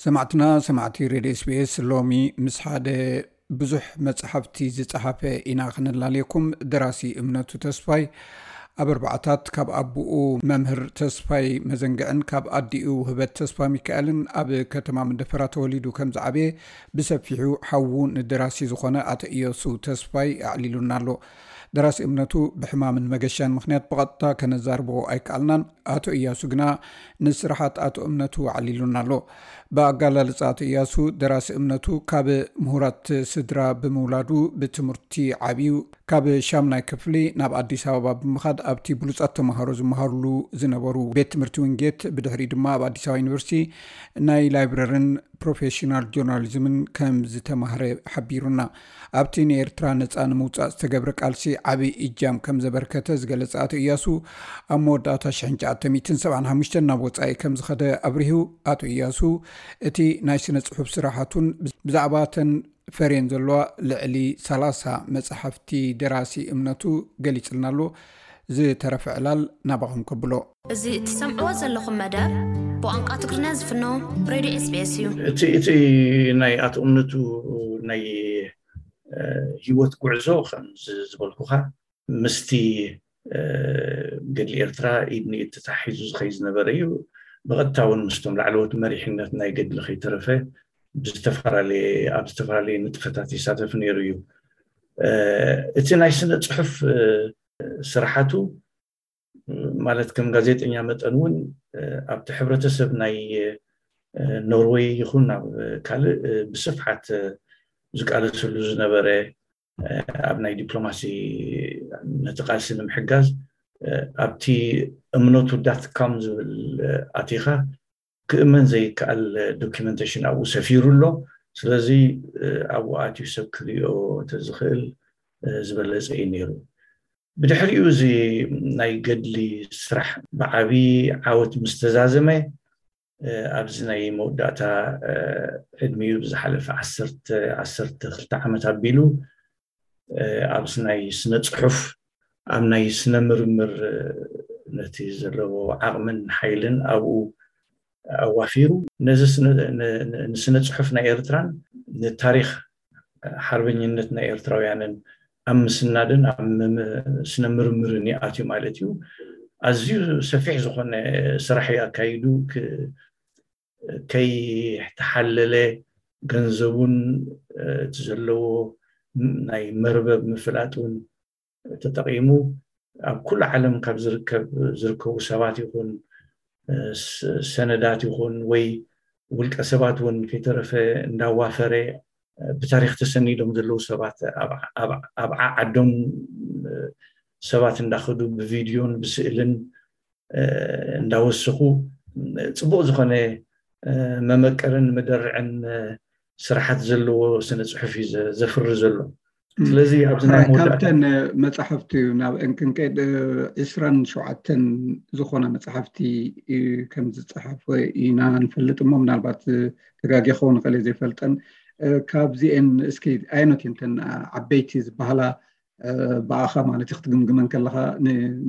ሰማዕትና ሰማዕቲ ሬድዮ ኤስቢኤስ፣ ሎሚ ምስ ሓደ ብዙሕ መጽሓፍቲ ዝጸሓፈ ኢና ክነላልየኩም። ደራሲ እምነቱ ተስፋይ ኣብ ኣርባዓታት ካብ ኣቦኡ መምህር ተስፋይ መዘንግዕን ካብ ኣዲኡ ህበት ተስፋ ሚካኤልን ኣብ ከተማ መንደፈራ ተወሊዱ ከም ዝዓበየ ብሰፊሑ ሓዉ ንደራሲ ዝኾነ ኣቶ እያሱ ተስፋይ ኣዕሊሉና ኣሎ። ደራሲ እምነቱ ብሕማምን መገሻን ምኽንያት ብቐጥታ ከነዛርቦ ኣይከኣልናን። ኣቶ እያሱ ግና ንስራሓት ኣቶ እምነቱ ኣዕሊሉና ኣሎ። ብኣጋላልጻ ኣቶ እያሱ፣ ደራሲ እምነቱ ካብ ምሁራት ስድራ ብምውላዱ ብትምህርቲ ዓብዩ ካብ ሻምናይ ክፍሊ ናብ ኣዲስ ኣበባ ብምኻድ ኣብቲ ብሉጻት ተምሃሮ ዝመሃሩሉ ዝነበሩ ቤት ትምህርቲ ዊንጌት፣ ብድሕሪ ድማ ኣብ ኣዲስ ኣበባ ዩኒቨርሲቲ ናይ ላይብረርን ፕሮፌሽናል ጆርናሊዝምን ከም ዝተማህረ ሓቢሩና። ኣብቲ ንኤርትራ ነጻ ንምውጻእ ዝተገብረ ቃልሲ ዓቢ እጃም ከም ዘበርከተ ዝገለጸ ኣቶ እያሱ፣ ኣብ መወዳእታ ሽሕን ትሽዓተ ሚእትን ሰብዓን ሓሙሽተን ናብ ወጻኢ ከም ዝኸደ ኣብሪሁ። ኣቶ እያሱ፣ እቲ ናይ ስነ ጽሑፍ ስራሓቱን ብዛዕባ ተን ፈርየን ዘለዋ ልዕሊ ሰላሳ መጻሕፍቲ ደራሲ እምነቱ ገሊጽልና ኣሎ። ዝተረፈ ዕላል ናባኹም ከብሎ። እዚ እትሰምዕዎ ዘለኹም መደብ ብቋንቋ ትግርኛ ዝፍኖ ሬድዮ ኤስቢኤስ እዩ። እቲ እቲ ናይ ኣቶ እምነቱ ናይ እ፣ ህይወት ጉዕዞ ከም ዝ- ዝበልኩኻ ምስቲ እ፣ ገድሊ ኤርትራ ኢድ ንኢድ ተታሒዙ ዝኸይ ዝነበረ እዩ። ብቐጥታ እውን ምስቶም ላዕለዎት መሪሕነት ናይ ገድሊ ከይተረፈ ብዝተፈላለየ ኣብ ዝተፈላለየ ንጥፈታት ይሳተፍ ነይሩ እዩ። እ፣ እቲ ናይ ስነ ጽሑፍ እ፣ ስራሓቱ ማለት ከም ጋዜጠኛ መጠን እውን ኣብቲ ሕብረተሰብ ናይ ኖርወይ ይኹን ኣብ ካልእ ብስፍሓት ዝቃለሰሉ ዝነበረ፣ ኣብ ናይ ዲፕሎማሲ ነቲ ቃልሲ ንምሕጋዝ ኣብቲ እምነቱ ዳት ካም ዝብል ኣቲኻ ክእመን ዘይከኣል ዶኪመንቴሽን ኣብኡ ሰፊሩ ኣሎ። ስለዚ ኣብኡ ኣትዩ ሰብ ክሪኦ ተዝኽእል ዝበለፀ እዩ ነይሩ። ብድሕሪኡ እዚ ናይ ገድሊ ስራሕ ብዓቢ ዓወት ምስ ተዛዘመ ኣብዚ ናይ መወዳእታ ዕድሚኡ ብዝሓለፈ ዓሰርተ ዓሰርተ ክልተ ዓመት ኣቢሉ ኣብዚ ናይ ስነ ፅሑፍ ኣብ ናይ ስነ ምርምር ነቲ ዘለዎ ዓቕምን ሓይልን ኣብኡ ኣዋፊሩ ነዚ ንስነ ፅሑፍ ናይ ኤርትራን ንታሪክ ሓርበኝነት ናይ ኤርትራውያንን ኣብ ምስናድን ኣብ ስነ ምርምርን ይኣትዩ ማለት እዩ። ኣዝዩ ሰፊሕ ዝኾነ ስራሕ ኣካይዱ ከይተሓለለ ገንዘቡን እቲ ዘለዎ ናይ መርበብ ምፍላጥ እውን ተጠቒሙ ኣብ ኩሉ ዓለም ካብ ዝርከብ ዝርከቡ ሰባት ይኹን ሰነዳት ይኹን ወይ ውልቀ ሰባት እውን ከይተረፈ እንዳዋፈረ ብታሪክ ተሰኒዶም ዘለዉ ሰባት ኣብ ዓዓዶም ሰባት እንዳኸዱ ብቪድዮን ብስእልን እንዳወሰኹ ፅቡቅ ዝኾነ መመቀርን መደርዕን ስራሓት ዘለዎ ስነ ፅሑፍ እዩ ዘፍሪ ዘሎ። ስለዚ ኣብዚ ናይ መወዳእታ ካብተን መፅሓፍቲ ናብ እንክንቀድ ዕስራን ሸውዓተን ዝኾና መፅሓፍቲ ከም ዝፀሓፈ ኢና ንፈልጥ እሞ ምናልባት ተጋጊ ክኸውን ይኽእል እየ ዘይፈልጠን። ካብዚኤን እስኪ ኣየኖት እየን እተን ዓበይቲ ዝበሃላ ብኣኻ ማለት እዩ ክትግምግመን ከለኻ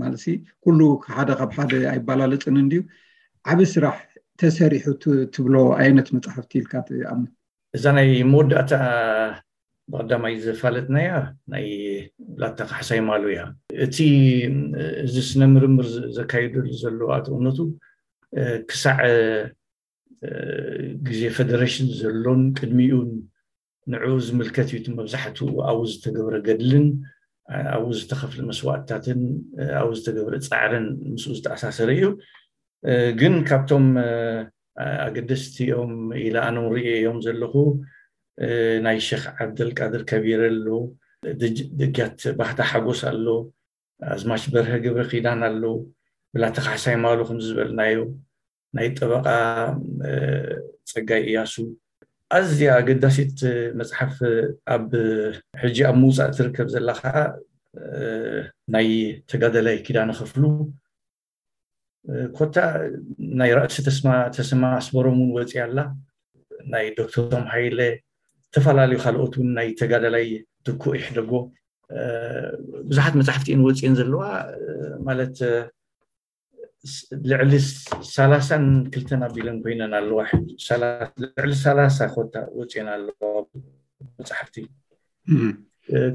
ማለት ኩሉ ሓደ ካብ ሓደ ኣይባላለፅን እንድዩ። ዓብ ስራሕ ተሰሪሑ ትብሎ ኣየኖት መፅሓፍቲ ኢልካ ትኣምን? እዛ ናይ መወዳእታ ብቐዳማይ ዘፋለጥናያ ናይ ብላታ ካሕሳይ ማሉ እያ። እቲ እዚ ስነ ምርምር ዘካይደሉ ዘሎ ኣቶ እምነቱ ክሳዕ ግዜ ፈደረሽን ዘሎን ቅድሚኡን ንዕኡ ዝምልከት እዩ። እቲ መብዛሕትኡ ኣብኡ ዝተገብረ ገድልን ኣብኡ ዝተኸፍለ መስዋእትታትን ኣብኡ ዝተገብረ ፃዕርን ምስኡ ዝተኣሳሰረ እዩ። ግን ካብቶም ኣገደስቲ እዮም ኢለ ኣነ ንሪኦ እዮም ዘለኹ ናይ ሸኽ ዓብደልቃድር ከቢረ ኣሎ፣ ደጊያት ባህታ ሓጎስ ኣሎ፣ ኣዝማች በርሀ ገብረ ኪዳን ኣሎ፣ ብላታ ካሕሳይ ማሉ ከም ዝበልናዮ ናይ ጠበቃ ፀጋይ እያሱ ኣዝያ ኣገዳሲት መፅሓፍ ኣብ ሕጂ ኣብ ምውፃእ ትርከብ ዘላ ከዓ ናይ ተጋደላይ ኪዳነ ክፍሉ ኮታ ናይ ራእሲ ተስማ ተሰማ ኣስበሮም እውን ወፂያ ኣላ። ናይ ዶክተር ቶም ሃይለ ዝተፈላለዩ ካልኦት እውን ናይ ተጋዳላይ ትኩእ ይሕደጎ ብዙሓት መፅሓፍቲ እየን ወፂኤን ዘለዋ ማለት ልዕሊ ሰላሳን ክልተን ኣቢለን ኮይነን ኣለዋ። ልዕሊ ሰላሳ ኮታ ወፅኤን ኣለዋ መፅሓፍቲ።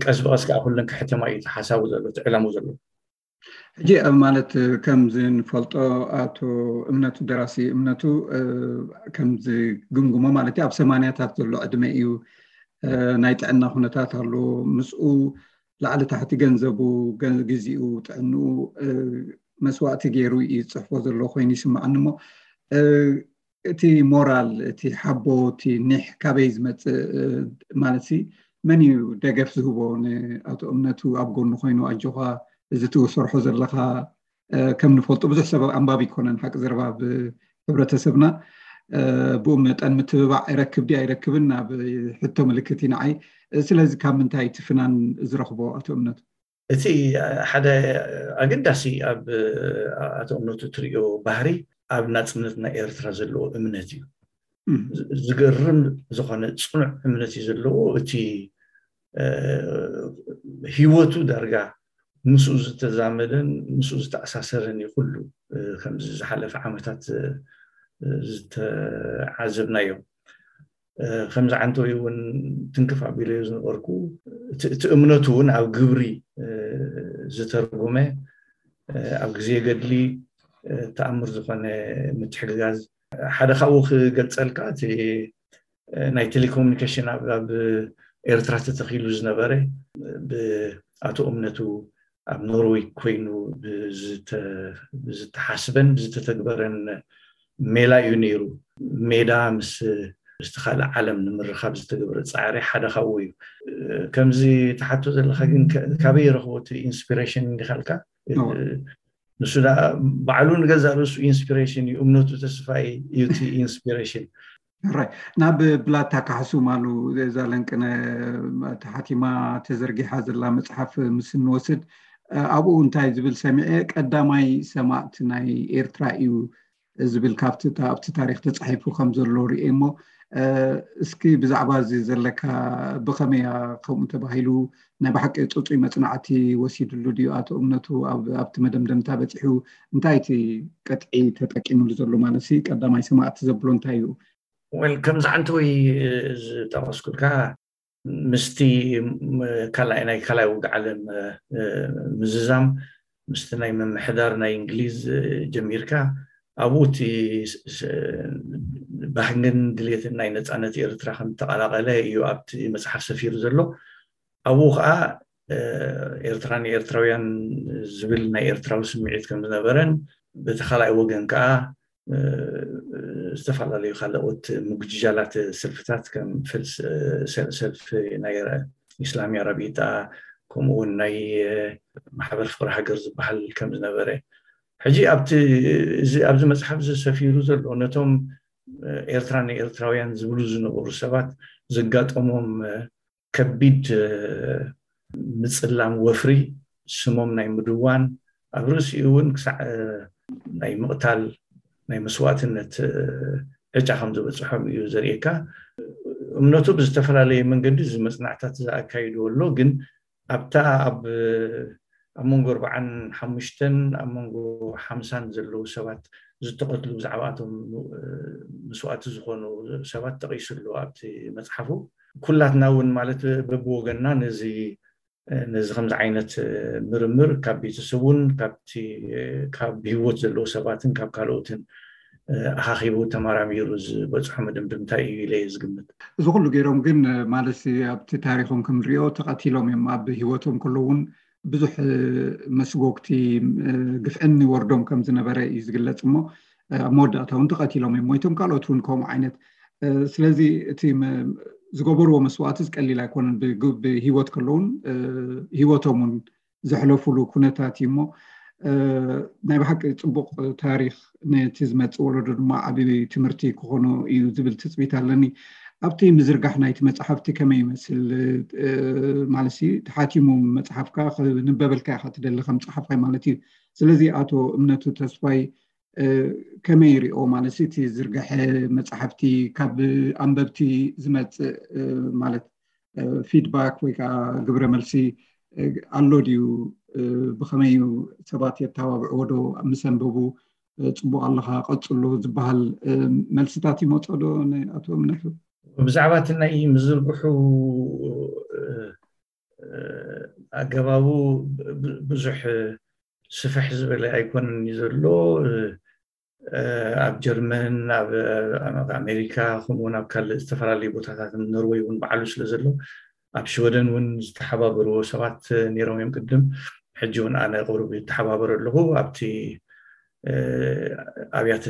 ቀስ ብቐስ ከዓ ኩለን ክሕተማ እዩ ሓሳቡ ዘሎ፣ ዕላሙ ዘሎ። ሕጂ ማለት ከምዚ ንፈልጦ ኣቶ እምነቱ፣ ደራሲ እምነቱ፣ ከምዚ ግምግሞ ማለት ኣብ ሰማንያታት ዘሎ ዕድመ እዩ። ናይ ጥዕና ኩነታት ኣሎ፣ ምስኡ ላዕሊ ታሕቲ ገንዘቡ፣ ግዜኡ፣ ጥዕንኡ መስዋእቲ ገይሩ እዩ ዝፅሕፎ ዘሎ ኮይኑ ይስማዓኒ። እሞ እቲ ሞራል፣ እቲ ሓቦ፣ እቲ ኒሕ ካበይ ዝመፅእ ማለት ሲ፣ መን እዩ ደገፍ ዝህቦ ንኣቶ እምነቱ ኣብ ጎኑ ኮይኑ ኣጆኻ፣ እዚ ትሰርሖ ዘለኻ፣ ከም ንፈልጦ ብዙሕ ሰብ ኣንባቢ ይኮነን ሓቂ ዘረባ ኣብ ሕብረተሰብና። ብኡ መጠን ምትብባዕ ይረክብ ድዩ ኣይረክብን ኣብ ሕቶ ምልክት እዩ ንዓይ። ስለዚ ካብ ምንታይ እቲ ፍናን ዝረኽቦ ኣቶ እምነቱ? እቲ ሓደ ኣገዳሲ ኣብ ኣቶ እምነቱ ትሪኦ ባህሪ ኣብ ናፅነት ናይ ኤርትራ ዘለዎ እምነት እዩ። ዝገርም ዝኾነ ፅኑዕ እምነት እዩ ዘለዎ። እቲ ህይወቱ ዳርጋ ምስኡ ዝተዛመደን ምስኡ ዝተኣሳሰረን እዩ ኩሉ። ከምዚ ዝሓለፈ ዓመታት ዝተዓዘብናዮ። ከምዚ ዓንተዊ እውን ትንክፍ ኣቢለዮ ዝነበርኩ፣ እቲ እምነቱ እውን ኣብ ግብሪ ዝተርጉመ፣ ኣብ ግዜ ገድሊ ተኣምር ዝኾነ ምትሕግጋዝ። ሓደ ካብኡ ክገልፀልካ፣ እቲ ናይ ቴሌኮሙኒኬሽን ኣብ ኤርትራ ተተኺሉ ዝነበረ ብኣቶ እምነቱ ኣብ ኖርወይ ኮይኑ ብዝተሓስበን ብዝተተግበረን ሜላ እዩ ነይሩ። ሜዳ ምስ ምስቲ ካልእ ዓለም ንምርኻብ ዝተገብረ ፃዕሪ ሓደ ካብኡ እዩ። ከምዚ ትሓቶ ዘለካ ግን ካበይ ረኽቦ እቲ ኢንስፒሬሽን እንዲካልካ? ንሱ ባዕሉ ንገዛ ርእሱ ኢንስፒሬሽን እዩ። እምነቱ ተስፋይ እዩ እቲ ኢንስፒሬሽን። ራይ ናብ ብላታ ካሕሱም ኣሉ እዛ ለንቅነ ተሓቲማ ተዘርጊሓ ዘላ መፅሓፍ ምስ እንወስድ ኣብኡ እንታይ ዝብል ሰሚዐ፣ ቀዳማይ ሰማእት ናይ ኤርትራ እዩ ዝብል ካብቲ ኣብቲ ታሪክ ተፃሒፉ ከም ዘሎ ርኤ እሞ፣ እስኪ ብዛዕባ እዚ ዘለካ፣ ብኸመያ ከምኡ ተባሂሉ፣ ናይ ብሓቂ ፅፁይ መፅናዕቲ ወሲድሉ ድዩ ኣቶ እምነቱ? ኣብቲ መደምደምታ በፂሑ እንታይ እቲ ቅጥዒ ተጠቂምሉ ዘሎ? ማለት ቀዳማይ ሰማእት ዘብሎ እንታይ እዩ? ወል ከምዚ ዓንተወይ ዝጠቐስኩልካ ምስቲ ካልኣይ ናይ ካልኣይ ውግእ ዓለም ምዝዛም ምስቲ ናይ ምምሕዳር ናይ እንግሊዝ ጀሚርካ ኣብኡ እቲ ባህግን ድሌትን ናይ ነፃነት ኤርትራ ከም ዝተቐላቐለ እዩ ኣብቲ መፅሓፍ ሰፊሩ ዘሎ። ኣብኡ ከዓ ኤርትራ ንኤርትራውያን ዝብል ናይ ኤርትራዊ ስምዒት ከም ዝነበረን በቲ ካልኣይ ወገን ከዓ ዝተፈላለዩ ካልኦት ምጉጅጃላት ሰልፍታት ከም ሰልፊ ናይ ኢስላሚያ ረቢጣ ከምኡውን ናይ ማሕበር ፍቅሪ ሃገር ዝበሃል ከም ዝነበረ ሕጂ ኣብዚ መፅሓፍ እዚ ሰፊሩ ዘሎ ነቶም ኤርትራ ንኤርትራውያን ዝብሉ ዝነበሩ ሰባት ዘጋጠሞም ከቢድ ምፅላም ወፍሪ ስሞም ናይ ምድዋን ኣብ ርእሲኡ እውን ክሳዕ ናይ ምቕታል ናይ መስዋእትነት ዕጫ ከም ዝበፅሖም እዩ ዘርእየካ። እምነቱ ብዝተፈላለየ መንገዲ እዚ መፅናዕታት ዝኣካይድዎ ኣሎ። ግን ኣብታ ኣብ ኣብ መንጎ ኣርባዓን ሓሙሽተን ኣብ መንጎ ሓምሳን ዘለዉ ሰባት ዝተቐትሉ ብዛዕባኣቶም መስዋእቲ ዝኾኑ ሰባት ጠቒሱ ኣሎ ኣብቲ መፅሓፉ። ኩላትና እውን ማለት በብወገንና ነዚ ነዚ ከምዚ ዓይነት ምርምር ካብ ቤተሰቡን ካብቲ ካብ ብህይወት ዘለዉ ሰባትን ካብ ካልኦትን ኣኻኺቡ ተመራሚሩ ዝበፅሖ መደምድምታ እዩ ኢለ እየ ዝግምት። እዚ ኩሉ ገይሮም ግን ማለት ኣብቲ ታሪኮም ክንሪኦ ተቐቲሎም እዮም ኣብ ህይወቶም ከለውን ብዙሕ መስጎግቲ ግፍዕን ይወርዶም ከም ዝነበረ እዩ ዝግለፅ እሞ ኣብ መወዳእታ እውን ተቐቲሎም እዮም ሞይቶም። ካልኦት እውን ከምኡ ዓይነት። ስለዚ እቲ ዝገበርዎ መስዋእቲ ዝቀሊል ኣይኮነን። ብህይወት ከለውን ህይወቶም እውን ዘሕለፉሉ ኩነታት እዩ እሞ ናይ ብሓቂ ፅቡቕ ታሪክ ነቲ ዝመፅእ ወለዶ ድማ ዓብዪ ትምህርቲ ክኾኖ እዩ ዝብል ትፅቢት ኣለኒ። ኣብቲ ምዝርጋሕ ናይቲ መፅሓፍቲ ከመይ ይመስል? ማለት ተሓቲሙ መፅሓፍካ ንበበልካ ኢካ ትደሊ ከም ፀሓፋይ ማለት እዩ። ስለዚ ኣቶ እምነቱ ተስፋይ ከመይ ይሪኦ ማለት እቲ ዝርግሐ መፅሓፍቲ ካብ ኣንበብቲ ዝመፅእ ማለት ፊድባክ ወይ ከዓ ግብረ መልሲ ኣሎ ድዩ? ብኸመይ እዩ ሰባት የተባብዕዎ ዶ ምስ ኣንበቡ? ጽቡቕ ኣለኻ፣ ቀጽሎ ዝበሃል መልስታት ይመጾ ዶ ንኣቶ እምነቱ? ብዛዕባ እቲ ናይ ምዝርግሑ ኣገባቡ ብዙሕ ስፍሕ ዝበለ ኣይኮነን እዩ ዘሎ። ኣብ ጀርመን፣ ኣብ ኣሜሪካ፣ ከምኡውን ኣብ ካልእ ዝተፈላለዩ ቦታታት፣ ኖርወይ እውን በዓሉ ስለ ዘሎ፣ ኣብ ሽወደን እውን ዝተሓባበርዎ ሰባት ነይሮም እዮም ቅድም። ሕጂ እውን ኣነ ቁሩብ ይተሓባበር ኣለኹ። ኣብቲ ኣብያተ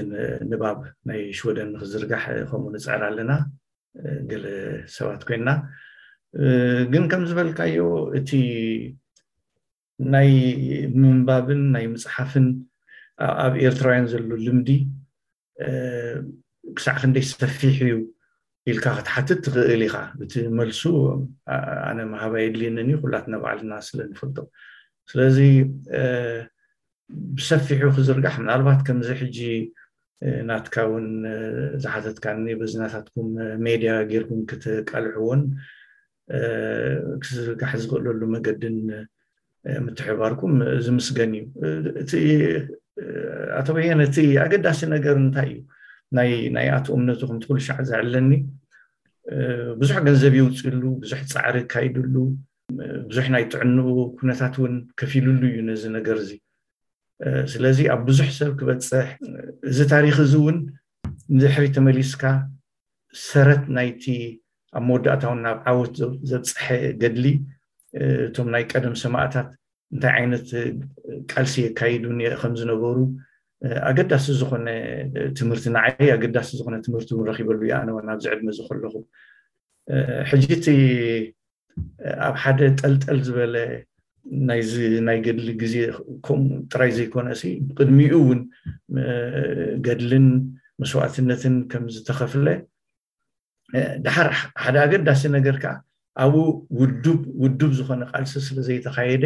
ንባብ ናይ ሽወደን ንክዝርጋሕ ከምኡ ንፅዕር ኣለና፣ ገለ ሰባት ኮይንና። ግን ከም ዝበልካዮ እቲ ናይ ምንባብን ናይ ምፅሓፍን ኣብ ኤርትራውያን ዘሎ ልምዲ ክሳዕ ክንደይ ሰፊሕ እዩ ኢልካ ክትሓትት ትኽእል ኢኻ። እቲ መልሱ ኣነ ምሃብ ኣየድልየንን እዩ፣ ኩላትና ባዕልና ስለ ንፈልጦ። ስለዚ ብሰፊሑ ክዝርጋሕ፣ ምናልባት ከምዚ ሕጂ ናትካ እውን ዝሓተትካኒ በዚ ናታትኩም ሜድያ ጌርኩም ክትቃልሕዎን ክዝርጋሕ ዝኽእለሉ መገድን ምትሕባርኩም ዝምስገን እዩ። እቲ ኣቶ በየነ፣ እቲ ኣገዳሲ ነገር እንታይ እዩ? ናይ ኣቶ እምነቱ ከምቲ ኩሉ ሻዕ ዘዕለኒ ብዙሕ ገንዘብ የውፅሉ፣ ብዙሕ ፃዕሪ ይካይድሉ፣ ብዙሕ ናይ ጥዕንኡ ኩነታት እውን ከፊሉሉ እዩ ነዚ ነገር እዚ። ስለዚ ኣብ ብዙሕ ሰብ ክበፅሕ፣ እዚ ታሪክ እዚ እውን ንድሕሪ ተመሊስካ ሰረት ናይቲ ኣብ መወዳእታውን ናብ ዓወት ዘብፀሐ ገድሊ እቶም ናይ ቀደም ሰማእታት እንታይ ዓይነት ቃልሲ የካይዱ ከምዝነበሩ ኣገዳሲ ዝኾነ ትምህርቲ፣ ንዓይ ኣገዳሲ ዝኾነ ትምህርቲ እውን ረኪበሉ እየ ኣነ እውን ኣብዚ ዕድመ እዚ ከለኹ። ሕጂ እቲ ኣብ ሓደ ጠልጠል ዝበለ ናይዚ ናይ ገድሊ ግዜ ከምኡ ጥራይ ዘይኮነ ሲ፣ ብቅድሚኡ እውን ገድልን መስዋእትነትን ከም ዝተኸፍለ፣ ድሓር ሓደ ኣገዳሲ ነገር ከዓ ኣብኡ ውዱብ ውዱብ ዝኾነ ቃልሲ ስለ ዘይተኻየደ፣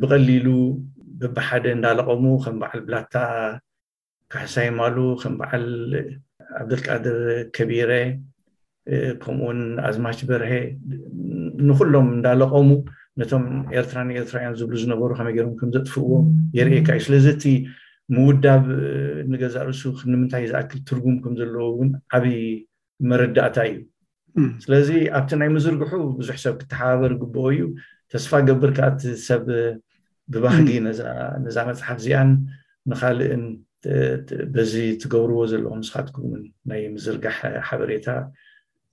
ብቐሊሉ በብሓደ እንዳለቐሙ ከም በዓል ብላታ ካሕሳይ ማሉ፣ ከም በዓል ዓብደልቃድር ከቢረ፣ ከምኡውን ኣዝማች በርሀ ንኩሎም እንዳለቐሙ ነቶም ኤርትራ ንኤርትራውያን ዝብሉ ዝነበሩ ከመይ ገይሮም ከም ዘጥፍእዎ የርእየካ እዩ። ስለዚ እቲ ምውዳብ ንገዛእ ርእሱ ንምንታይ ዝኣክል ትርጉም ከም ዘለዎ እውን ዓብዪ መረዳእታ እዩ። ስለዚ ኣብቲ ናይ ምዝርግሑ ብዙሕ ሰብ ክተሓባበር ግብኦ እዩ። ተስፋ ገብር ከኣ እቲ ሰብ ብባህጊ ነዛ መፅሓፍ እዚኣን ንካልእን በዚ ትገብርዎ ዘለኹም ንስኻትኩም ናይ ምዝርጋሕ ሓበሬታ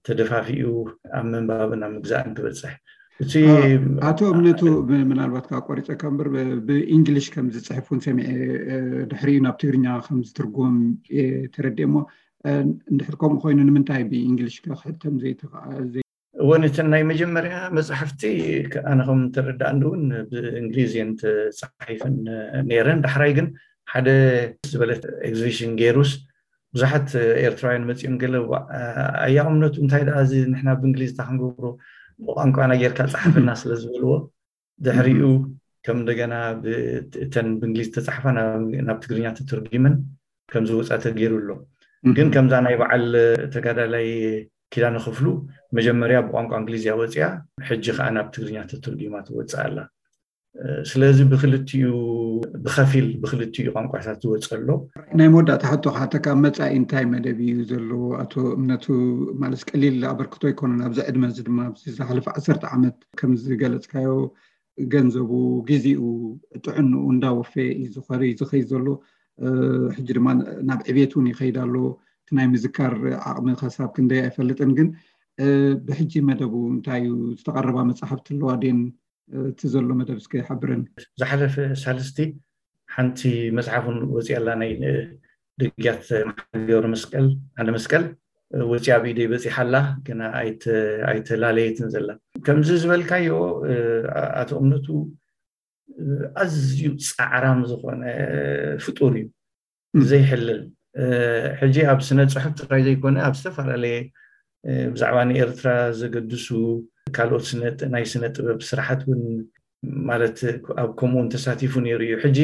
ተደፋፊኡ ኣብ ምንባብን ኣብ ምግዛእን ክበፅሕ። እቲ ኣቶ እምነቱ፣ ምናልባት ካብ ቆሪፀካ እምበር፣ ብእንግሊሽ ከም ዝፅሕፍ እውን ሰሚዐ፣ ድሕሪኡ ናብ ትግርኛ ከም ዝትርጎም ተረዲኤ። እሞ እንድሕር ከምኡ ኮይኑ ንምንታይ ብእንግሊሽ ክሕተም ዘይተኽኣለ? እወን፣ እተን ናይ መጀመርያ መፅሓፍቲ ኣነ ከም ተረዳእኒ እውን ብእንግሊዝ እየን ተፃሒፈን ነይረን። ዳሕራይ ግን ሓደ ዝበለት ኤግዚቢሽን ገይሩስ ብዙሓት ኤርትራውያን መፂኦም ገለ፣ ኣያ እምነቱ፣ እንታይ ደኣ እዚ ንሕና ብእንግሊዝ እንታይ ክንገብሮ፣ ብቋንቋና ጌርካ ፀሓፈልና ስለ ዝበልዎ፣ ድሕሪኡ ከም እንደገና እተን ብእንግሊዝ ተፃሕፋ ናብ ትግርኛ ተተርጊመን ከም ዝወፃ ተገይሩ ኣሎ። ግን ከምዛ ናይ በዓል ተጋዳላይ ኪዳነ ክፍሉ መጀመርያ ብቋንቋ እንግሊዝያ ወፂኣ፣ ሕጂ ከዓ ናብ ትግርኛ ተተርጊማ ትወፅእ ኣላ። ስለዚ ብክልቲኡ፣ ብከፊል ብክልቲኡ ቋንቋታት ዝወፀ ኣሎ። ናይ መወዳእታ ሕቶ ክሓተካ፣ መፃኢ እንታይ መደብ እዩ ዘሎ ኣቶ እምነቱ? ማለት ቀሊል ኣበርክቶ ኣይኮነን። ኣብዚ ዕድመ እዚ ድማ ኣብዚ ዝሓለፈ ዓሰርተ ዓመት ከም ዝገለፅካዮ ገንዘቡ፣ ግዜኡ፣ ጥዕንኡ እንዳወፈየ እዩ ዝኸሪ-፣ ዝኸይድ ዘሎ። ሕጂ ድማ ናብ ዕቤት እውን ይኸይድ ኣሎ። እቲ ናይ ምዝካር ዓቕሚ ከሳብ ክንደይ ኣይፈልጥን፣ ግን ብሕጂ መደቡ እንታይ እዩ? ዝተቐረባ መፅሓፍቲ ኣለዋ ድየን? እቲ ዘሎ መደብ እስከ ሓብረኒ። ዝሓለፈ ሳልስቲ ሓንቲ መፅሓፍ እውን ወፂኣ ኣላ፣ ናይ ደግያት መሓሪ ገብረ መስቀል፣ ኣነ መስቀል፣ ወፂኣ፣ ኣብ ኢደይ በፂሓ ኣላ፣ ግና ኣይተ-፣ ኣይተላለየትን ዘላ። ከምዚ ዝበልካዮ ኣቶ እምነቱ ኣዝዩ ፃዕራም ዝኾነ ፍጡር እዩ። ዘይሕለል። ሕጂ ኣብ ስነ ፅሑፍ ጥራይ ዘይኮነ ኣብ ዝተፈላለየ ብዛዕባ ንኤርትራ ዘገድሱ ካልኦት ናይ ስነ ጥበብ ስራሓት እውን ማለት ኣብ ከምኡውን ተሳቲፉ ነይሩ እዩ። ሕጂ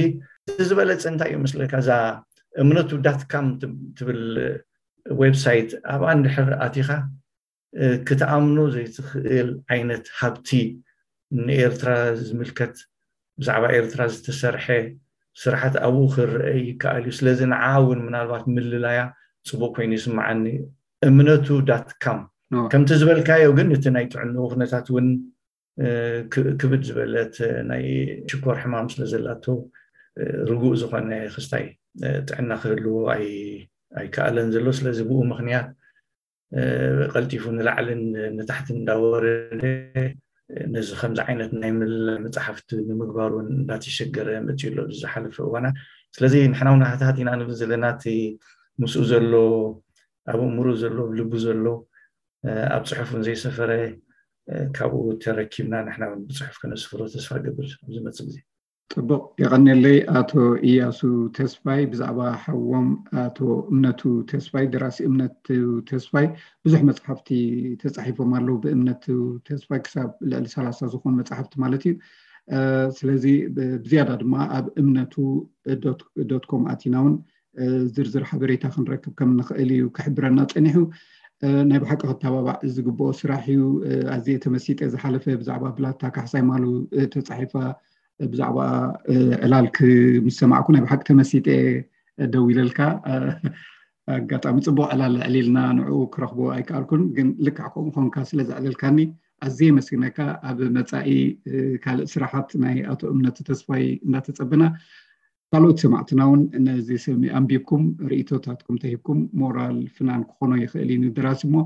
ዝበለፀ እንታይ እዩ መስለካ? እዛ እምነቱ ዳት ካም ትብል ዌብሳይት ኣብኣ እንድሕር ኣቲኻ ክትኣምኖ ዘይትኽእል ዓይነት ሃብቲ ንኤርትራ ዝምልከት ብዛዕባ ኤርትራ ዝተሰርሐ ስራሓት ኣብኡ ክረአ ይከኣል እዩ። ስለዚ ንዓ እውን ምናልባት ምልላያ ፅቡቅ ኮይኑ ይስምዓኒ። እምነቱ ዳት ካም ከምቲ ዝበልካዮ ግን እቲ ናይ ጥዕንኡ ኩነታት እውን ክብድ ዝበለት ናይ ሽኮር ሕማም ስለ ዘላቶ ርጉእ ዝኾነ ክስታይ ጥዕና ክህልዎ ኣይከኣለን ዘሎ። ስለዚ ብኡ ምክንያት ቀልጢፉ ንላዕልን ንታሕትን እንዳወረደ ነዚ ከምዚ ዓይነት ናይ ምልላይ መፅሓፍቲ ንምግባር እውን እንዳተሸገረ መፅዩ ኣሎ ዝሓለፈ እዋናት። ስለዚ ንሕና እውን ሃታት ኢና ንብል ዘለና እቲ ምስኡ ዘሎ ኣብ እምሩ ዘሎ ኣብ ልቡ ዘሎ ኣብ ፅሑፍ እውን ዘይሰፈረ ካብኡ ተረኪብና ንሕና እውን ብፅሑፍ ከነስፍሮ ተስፋ ገብር ኣብዚ መፅእ ግዜ። ፅቡቕ የቐንየለይ ኣቶ እያሱ ተስፋይ። ብዛዕባ ሓዎም ኣቶ እምነቱ ተስፋይ፣ ደራሲ እምነቱ ተስፋይ ብዙሕ መፅሓፍቲ ተፃሒፎም ኣለዉ። ብእምነቱ ተስፋይ ክሳብ ልዕሊ ሰላሳ ዝኾኑ መፅሓፍቲ ማለት እዩ። ስለዚ ብዝያዳ ድማ ኣብ እምነቱ ዶት ኮም ኣቲና እውን ዝርዝር ሓበሬታ ክንረክብ ከም ንኽእል እዩ ክሕብረና ፀኒሑ። ናይ ብሓቂ ክተባባዕ ዝግብኦ ስራሕ እዩ። ኣዝየ ተመሲጠ ዝሓለፈ ብዛዕባ ብላታ ካሕሳይ ማሉ ተፃሒፋ ብዛዕባ ዕላል ምስ ሰማዕኩ ናይ ብሓቂ ተመሲጠ ደው ኢለልካ። ኣጋጣሚ ፅቡቅ ዕላል ዕሊልና ንዕኡ ክረኽቦ ኣይከኣልኩን፣ ግን ልክዕ ከምኡ ኾንካ ስለ ዘዕለልካኒ ኣዝየ የመስግነካ። ኣብ መፃኢ ካልእ ስራሓት ናይ ኣቶ እምነቱ ተስፋይ እንዳተፀበና ካልኦት ሰማዕትና እውን ነዚ ስሚ ኣንቢብኩም ርእይቶታትኩም ተሂብኩም ሞራል ፍናን ክኾኖ ይኽእል እዩ ንደራሲ እሞ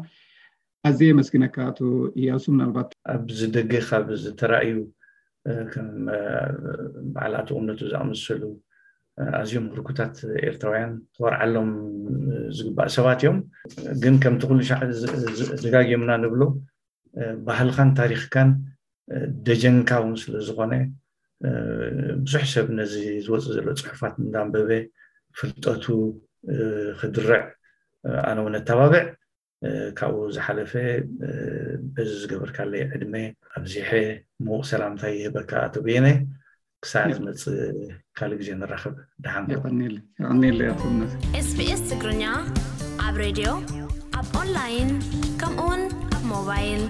ኣዝየ የመስግነካ ኣቶ እያሱ። ምናልባት ኣብዚ ደገ ካብ ዝተራእዩ ከም በዓል ኣቶ እምነቱ ዝኣመሰሉ ኣዝዮም ህርኩታት ኤርትራውያን ክወርዓሎም ዝግባእ ሰባት እዮም። ግን ከምቲ ኩሉ ሻዕ ደጋጊምና ንብሎ ባህልኻን ታሪኽካን ደጀንካ እውን ስለ ዝኾነ ብዙሕ ሰብ ነዚ ዝወፅእ ዘሎ ፅሑፋት እንዳንበበ ፍልጠቱ ክድርዕ ኣነ እውን ኣተባብዕ። ካብኡ ዝሓለፈ በዚ ዝገበርካለይ ዕድመ ኣብዚሐ ምዉቕ ሰላምታ ይህበካ ኣቶ በየነ። ክሳዕ ዝመፅእ ካልእ ግዜ ንራኸብ። ደሓን የቐንየለይ ኣቶ እምነት። ኤስቢኤስ ትግርኛ ኣብ ሬድዮ ኣብ ኦንላይን ከምኡውን ኣብ ሞባይል